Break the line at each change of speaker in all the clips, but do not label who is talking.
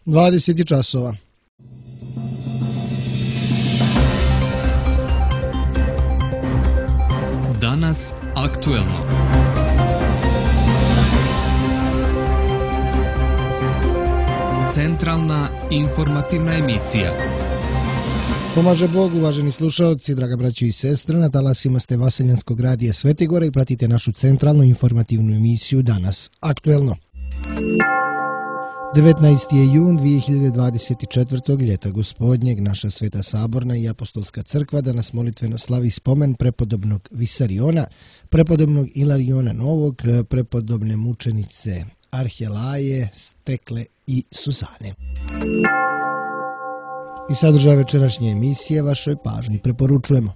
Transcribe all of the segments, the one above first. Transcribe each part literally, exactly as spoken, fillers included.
dvadeset časova.
Danas aktuelno. Centralna informativna emisija.
Pomaže Bog, uvaženi slušalci, draga braćo i sestre, na talasima ste Vaseljanskog radija Svetigora i pratite našu centralnu informativnu emisiju Danas aktuelno. devetnaesti je jun dvije hiljade dvadeset četvrtog. ljeta gospodnjeg. Naša Sveta Saborna i Apostolska crkva danas molitveno slavi spomen prepodobnog Visariona, prepodobnog Ilariona Novog, prepodobne mučenice Arhelaje, Stekle i Suzane. I sadržaj večerašnje emisije vašoj pažnji preporučujemo.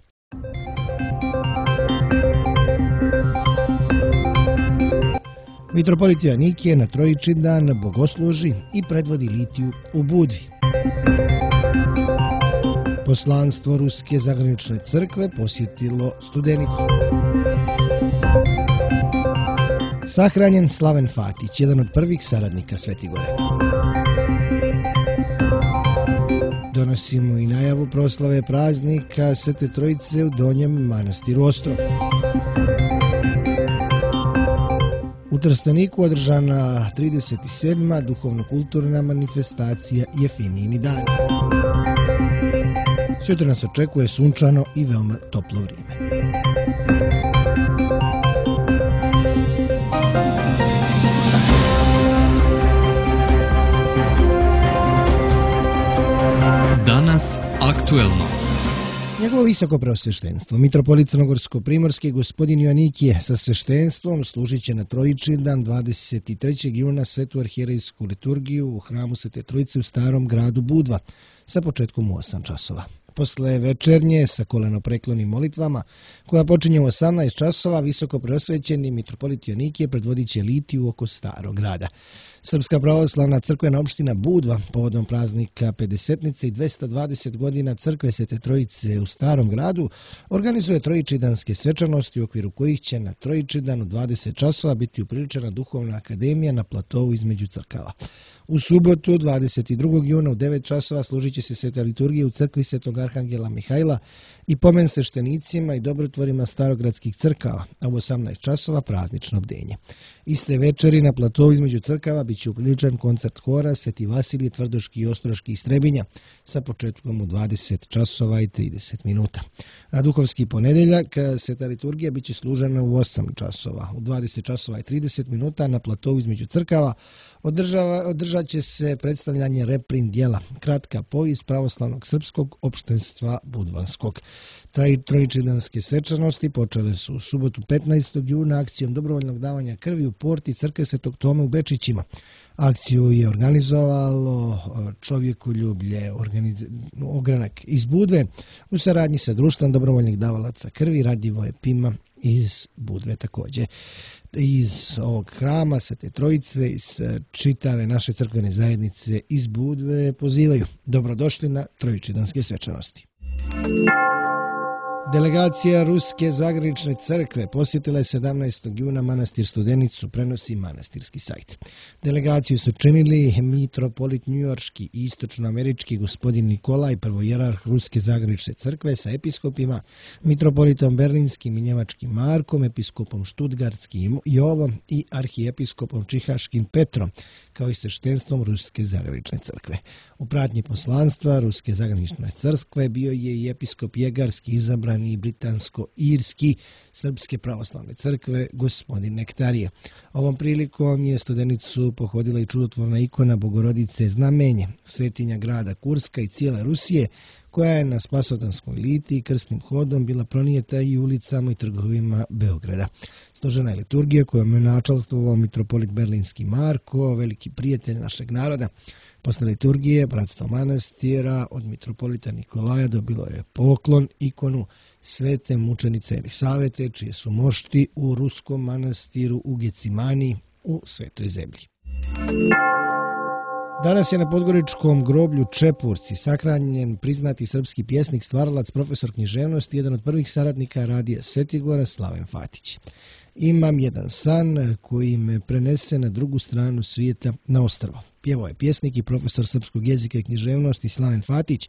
Mitropolit Joanikije na Trojičin dan bogosluži i predvodi litiju u Budvi. Poslanstvo Ruske zagranične crkve posjetilo Studenicu. Sahranjen Slaven Fatić, jedan od prvih saradnika Svetigore. Donosimo i najavu proslave praznika Svete Trojice u Donjem manastiru Ostrog. U Trsteniku održana trideset sedma duhovno-kulturna manifestacija Jefimijini dan. Sutra nas očekuje sunčano i veoma toplo vrijeme.
Danas aktuelno.
Njegovo visoko preosveštenstvo, mitropolit Crnogorsko-primorski gospodin Joanikije sa sveštenstvom služit će na Trojičin dan dvadeset trećeg juna svetu arhijerejsku liturgiju u hramu Svete Trojice u starom gradu Budva sa početkom u osam časova. Posle večernje sa kolenopreklonim molitvama, koja počinje u osamnaest časova, visoko preosvećeni mitropolit Joanikije predvodit će litiju oko starog grada. Srpska pravoslavna crkvena opština Budva povodom praznika pedesetnice i dvesta dvadeset godina crkve Svete Trojice u starom gradu organizuje trojičidanske svečanosti u okviru kojih će na Trojičidan u dvadeset časova biti upriličena duhovna akademija na platovu između crkava. U subotu dvadeset drugog juna u devet časova služit će se sveta liturgija u crkvi Svetog Arhangela Mihajla i pomen sveštenicima i dobrotvorima starogradskih crkava, a u osamnaest časova praznično bdenje. Iste večeri na platovu između crkava bit će upriličan koncert hora Sveti Vasilije Tvrdoški i Ostroški iz Trebinja sa početkom u dvadeset časova i trideset minuta. Na duhovski ponedeljak sveta liturgija bit će služena u osam časova. U dvadeset časova i trideset minuta na platovu između crkava održava, održat će se predstavljanje reprint dijela Kratka povijest pravoslavnog srpskog opštenstva Budvanskog. Trojičidanske svečanosti počele su u subotu petnaestog juna akcijom dobrovoljnog davanja krvi u porti crkve Svetog Tome u Bečićima. Akciju je organizovalo Čovjekoljublje organiz... ogranak iz Budve u saradnji sa društvom dobrovoljnih davalaca krvi Radivoje Pima iz Budve također. Iz ovog hrama Svete Trojice, iz čitave naše crkvene zajednice iz Budve pozivaju: dobrodošli na trojičidanske svečanosti. Delegacija Ruske zagranične crkve posjetila je sedamnaestog juna manastir Studenicu, prenosi manastirski sajt. Delegaciju su činili mitropolit njujorški i istočnoamerički gospodin Nikolaj, prvojerarh Ruske zagranične crkve sa episkopima, mitropolitom berlinskim i njemačkim Markom, episkopom štutgartskim Jovom i arhijepiskopom čihaškim Petrom, kao i sveštenstvom Ruske zagranične crkve. U pratnji poslanstva Ruske zagranične crkve bio je i episkop Jegarski, izabran i britansko-irski Srpske pravoslavne crkve gospodin Nektarije. Ovom prilikom je Studenicu pohodila i čudotvorna ikona Bogorodice Znamenje, svetinja grada Kurska i cijele Rusije, koja je na Spasotanskoj litiji krstnim hodom bila pronijeta i ulicama i trgovima Beograda. Složena je liturgija kojom je načalstvovao mitropolit berlinski Marko, veliki prijatelj našeg naroda. Posle liturgije bratstvo manastira od mitropolita Nikolaja dobilo je poklon ikonu svete mučenice Elisavete, čije su mošti u ruskom manastiru u Gecimani u Svetoj zemlji. Danas je na podgoričkom groblju Čepurci sahranjen priznati srpski pjesnik, stvaralac, profesor književnosti, jedan od prvih saradnika radija Svetigora, Slaven Fatić. Imam jedan san koji me prenese na drugu stranu svijeta na ostrvo. Pjevao je pjesnik i profesor srpskog jezika i književnosti Slaven Fatić,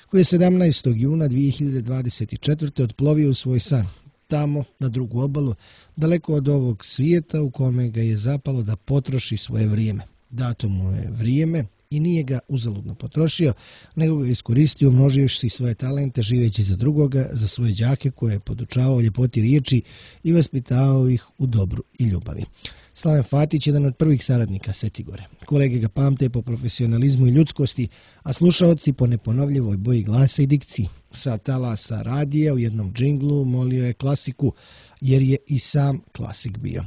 koji je sedamnaestog juna dvije hiljade dvadeset četvrte otplovio u svoj san, tamo na drugu obalu, daleko od ovog svijeta u kome ga je zapalo da potroši svoje vrijeme. Dato mu je vrijeme i nije ga uzaludno potrošio, nego ga iskoristio umnoživši svoje talente živeći za drugoga, za svoje đake koje je podučavao ljepoti riječi i vaspitavao ih u dobru i ljubavi. Slaven Fatić je jedan od prvih saradnika Setigore. Kolege ga pamte po profesionalizmu i ljudskosti, a slušaoci po neponovljivoj boji glasa i dikciji. Sa talasa radija u jednom džinglu molio je klasiku, jer je i sam klasik bio.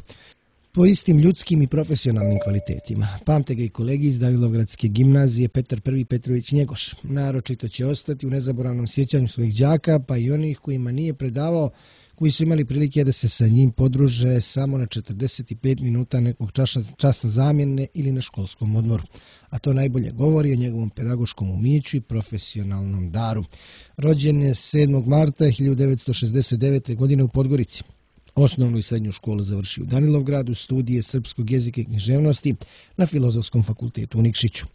Po istim ljudskim i profesionalnim kvalitetima. Pamte ga i kolegi iz Danilovgradske gimnazije Petar Prvi Petrović Njegoš. Naročito će ostati u nezaboravnom sjećanju svojih đaka, pa i onih kojima nije predavao, koji su imali prilike da se sa njim podruže samo na četrdeset pet minuta nekog časa, časa zamjene ili na školskom odmoru. A to najbolje govori o njegovom pedagoškom umiću i profesionalnom daru. Rođen je sedmog marta hiljadu devetsto šezdeset devete. godine u Podgorici. Osnovnu i srednju školu završio u Danilovgradu, studije srpskog jezika i književnosti na Filozofskom fakultetu u Nikšiću.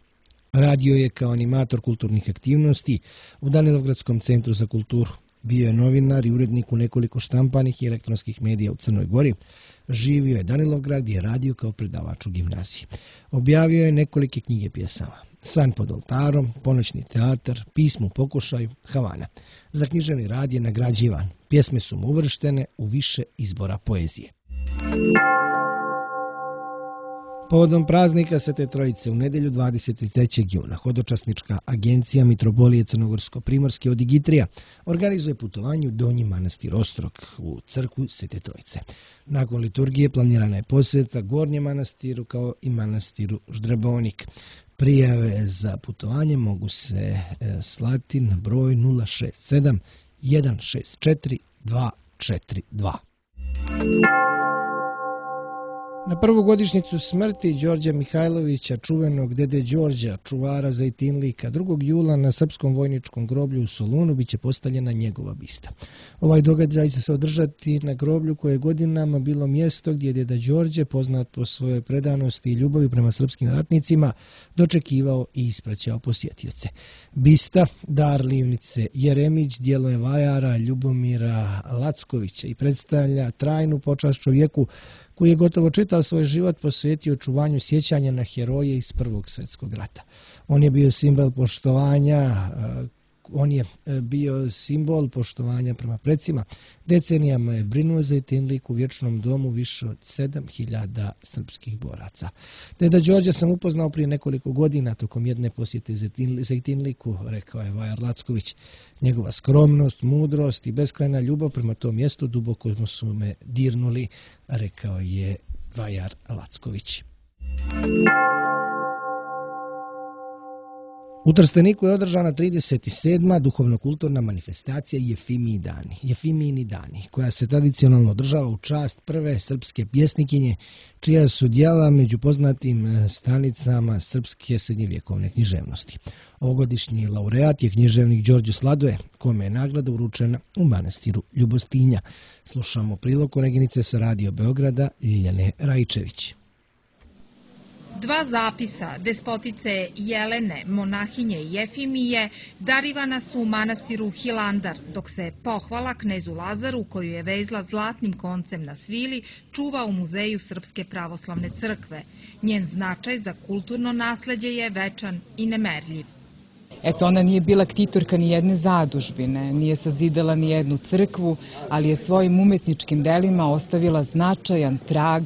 Radio je kao animator kulturnih aktivnosti u Danilovgradskom centru za kulturu. Bio je novinar i urednik u nekoliko štampanih i elektronskih medija u Crnoj Gori. Živio je Danilovgrad i je radio kao predavač u gimnaziji. Objavio je nekolike knjige pjesama. San pod oltarom, Ponoćni teatar, Pismo u pokušaju, Havana. Za književni rad je nagrađivan. Pjesme su mu uvrštene u više izbora poezije. Povodom praznika Svete Trojice u nedjelju dvadeset trećeg juna hodočasnička agencija Mitropolije Crnogorsko-Primorske od Igitrija organizuje putovanje u Donji manastir Ostrog u crkvu Svete Trojice. Nakon liturgije planirana je posjeta Gornjem manastiru kao i manastiru Ždrebonik. Prijave za putovanje mogu se slati na broj nula šest sedam jedan šest četiri dva četiri dva. Na prvu godišnjicu smrti Đorđa Mihajlovića, čuvenog dede Đorđa, čuvara Zejtinlika, drugog jula na Srpskom vojničkom groblju u Solunu biće postavljena njegova bista. Ovaj događaj će se održati na groblju koje je godinama bilo mjesto gdje je deda Đorđe, poznat po svojoj predanosti i ljubavi prema srpskim ratnicima, dočekivao i ispraćao posjetioce. Bista, dar Livnice Jeremić, djelo je vajara Ljubomira Lackovića i predstavlja trajnu počast čovjeku koji je gotovo čitav svoj život posvetio očuvanju sjećanja na heroje iz Prvog svjetskog rata. On je bio simbol poštovanja, on je bio simbol poštovanja prema predsima. Decenijama je brinuo za Zejtinlik u vječnom domu više od sedam hiljada srpskih boraca. Deda Đorđa sam upoznao prije nekoliko godina tokom jedne posjete Zejtinliku, rekao je Vajar Lacković. Njegova skromnost, mudrost i beskrajna ljubav prema tom mjestu duboko su me dirnuli, rekao je Vajar Lacković. U Trsteniku je održana trideset sedma duhovno-kulturna manifestacija Jefimiji dani, Jefimijini dani, koja se tradicionalno održava u čast prve srpske pjesnikinje, čija su djela među poznatim stranicama srpske srednjevjekovne književnosti. Ovogodišnji laureat je književnik Đorđe Sladoje, kome je nagrada uručena u manastiru Ljubostinja. Slušamo prilog koleginice sa Radio Beograda Ljiljane Rajčević.
Dva zapisa despotice Jelene, monahinje Jefimije, darivana su u manastiru Hilandar, dok se pohvala knezu Lazaru, koju je vezla zlatnim koncem na svili, čuva u Muzeju Srpske pravoslavne crkve. Njen značaj za kulturno nasleđe je večan i nemerljiv.
Eto, ona nije bila ktitorka ni jedne zadužbine, nije sazidala ni jednu crkvu, ali je svojim umetničkim delima ostavila značajan trag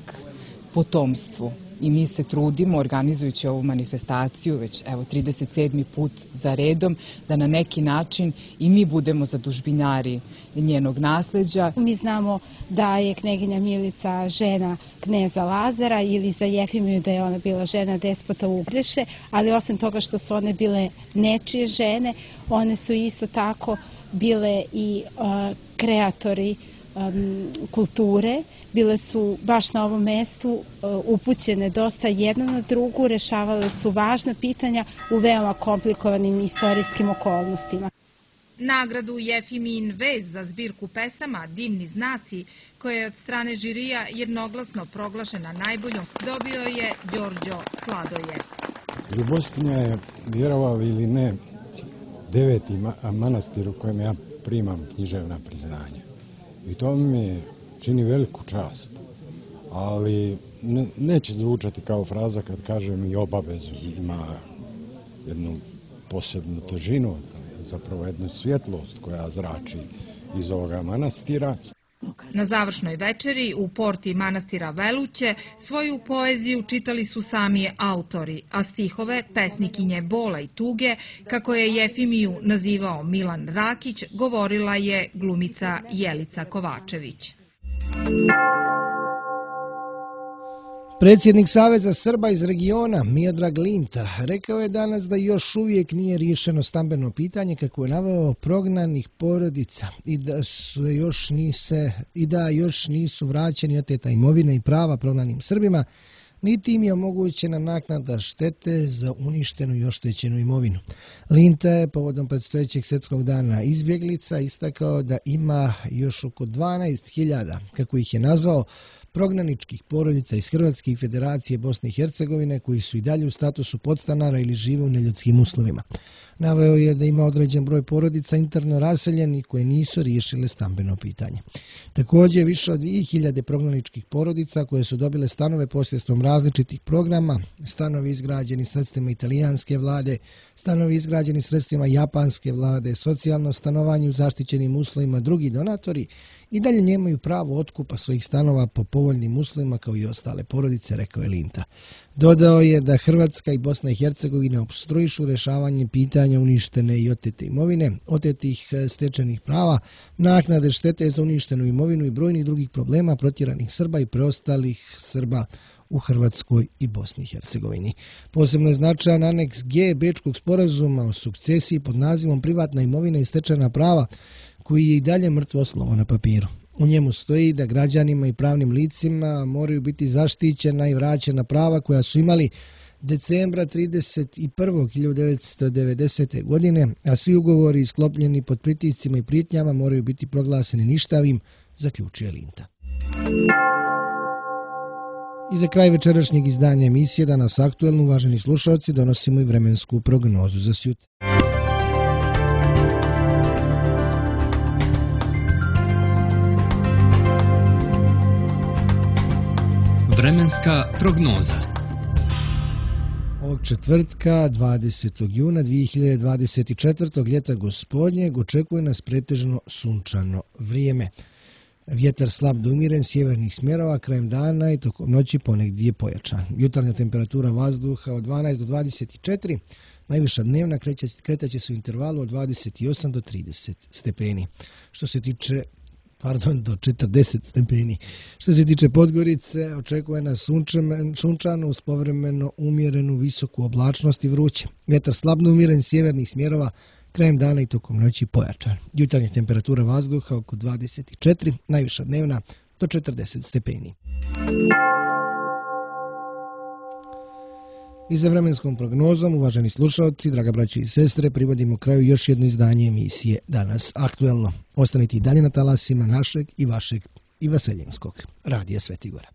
potomstvu. I mi se trudimo, organizujući ovu manifestaciju, već evo trideset sedmi put za redom, da na neki način i mi budemo zadužbinjari njenog nasleđa.
Mi znamo da je kneginja Milica žena kneza Lazara ili za Jefimiju da je ona bila žena despota Ugreše, ali osim toga što su one bile nečije žene, one su isto tako bile i uh, kreatori um, kulture. Bile su baš na ovom mestu upućene dosta jedna na drugu, rešavale su važna pitanja u veoma komplikovanim istorijskim okolnostima.
Nagradu Jefimijin vez za zbirku pesama Divni znaci, koja je od strane žirija jednoglasno proglašena najboljom, dobio je Đorđo Sladoje.
Ljubostinja je, vjerovali ili ne, deveti manastir u kojem ja primam književna priznanja. I to mi čini veliku čast, ali ne, neće zvučati kao fraza kad kažem i obavezu. Ima jednu posebnu težinu, zapravo jednu svjetlost koja zrači iz ovoga manastira.
Na završnoj večeri u porti manastira Veluće svoju poeziju čitali su sami autori, a stihove pesnikinje Bola i tuge, kako je Jefimiju nazivao Milan Rakić, govorila je glumica Jelica Kovačević.
Predsjednik Saveza Srba iz regiona Miodrag Linta rekao je danas da još uvijek nije riješeno stambeno pitanje kako je naveo prognanih porodica i da su još nise, i da još nisu vraćeni oteta imovina i prava prognanim Srbima, niti im je omogućena naknada štete za uništenu i oštećenu imovinu. Linta je povodom predstojećeg svjetskog dana izbjeglica istakao da ima još oko dvanaest hiljada, kako ih je nazvao, prognaničkih porodica iz Hrvatske i Federacije Bosne i Hercegovine koji su i dalje u statusu podstanara ili žive u neljudskim uslovima. Naveo je da ima određen broj porodica interno raseljeni koje nisu riješile stambeno pitanje. Također više od dvije hiljade prognaničkih porodica koje su dobile stanove posredstvom različitih programa, stanovi izgrađeni sredstvima italijanske vlade, stanovi izgrađeni sredstvima japanske vlade, socijalno stanovanje u zaštićenim uslovima, drugi donatori i dalje nemaju pravo otkupa svojih stanova po povoljnim uslovima kao i ostale porodice, rekao je Linta. Dodao je da Hrvatska i Bosna i Hercegovina opstruišu rješavanje pitanja uništene i otete imovine, otetih stečenih prava, naknade štete za uništenu imovinu i brojnih drugih problema protjeranih Srba i preostalih Srba u Hrvatskoj i Bosni i Hercegovini. Posebno je značajan aneks G Bečkog sporazuma o sukcesiji pod nazivom Privatna imovina i stečena prava, koji je i dalje mrtvo slovo na papiru. U njemu stoji da građanima i pravnim licima moraju biti zaštićena i vraćena prava koja su imali decembra trideset prvog hiljadu devetsto devedesete. godine, a svi ugovori sklopljeni pod pritiscima i prijetnjama moraju biti proglaseni ništavim, zaključuje Linta. I za kraj večerašnjeg izdanja emisije Danas aktuelno, uvaženi slušalci, donosimo i vremensku prognozu za sutra.
Vremenska prognoza.
Ovog četvrtka, dvadesetog juna dvije hiljade dvadeset četvrtog. ljeta gospodnjeg očekuje nas pretežno sunčano vrijeme. Vjetar slab do umiren sjevernih smjerova krajem dana i tokom noći ponegdje pojačan. Jutarnja temperatura vazduha od dvanaest do dvadeset četiri, najviša dnevna kretaće se u intervalu od dvadeset osam do trideset stepeni. Što se tiče Pardon, do četrdeset stepeni. Što se tiče Podgorice, očekuje nas sunčano uz povremeno umjerenu visoku oblačnost i vruće. Vjetar slabno umjeren sjevernih smjerova krajem dana i tokom noći pojačan. Jutarnja temperatura vazduha oko dvadeset četiri, najviša dnevna do četrdeset stepeni. I za vremenskom prognozom, uvaženi slušalci, draga braćo i sestre, privodimo kraju još jedno izdanje emisije Danas aktuelno. Ostanite i dalje na talasima našeg i vašeg i vaseljenskog radija Svetigora.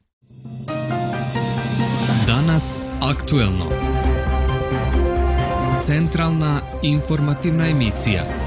Danas aktuelno. Centralna informativna emisija.